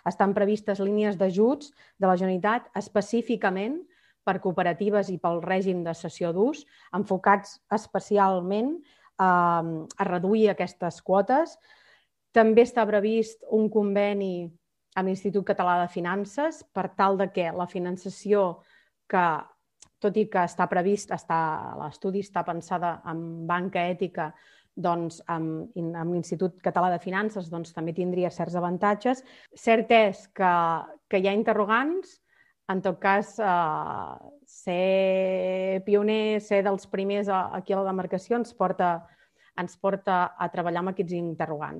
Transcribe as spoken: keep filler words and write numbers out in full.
estan previstes línies d'ajuts de la Generalitat específicament per cooperatives i pel règim de cessió d'ús, enfocats especialment a, a reduir aquestes quotes. També està previst un conveni amb l'Institut Català de Finances per tal de que la finançació que, tot i que està previst, l'estudi està pensada en banca ètica, doncs amb, amb l'Institut Català de Finances doncs, també tindria certs avantatges. Cert és que, que hi ha interrogants, en tot cas, eh, ser pioner, ser dels primers aquí a la demarcació ens porta, ens porta a treballar amb aquests interrogants.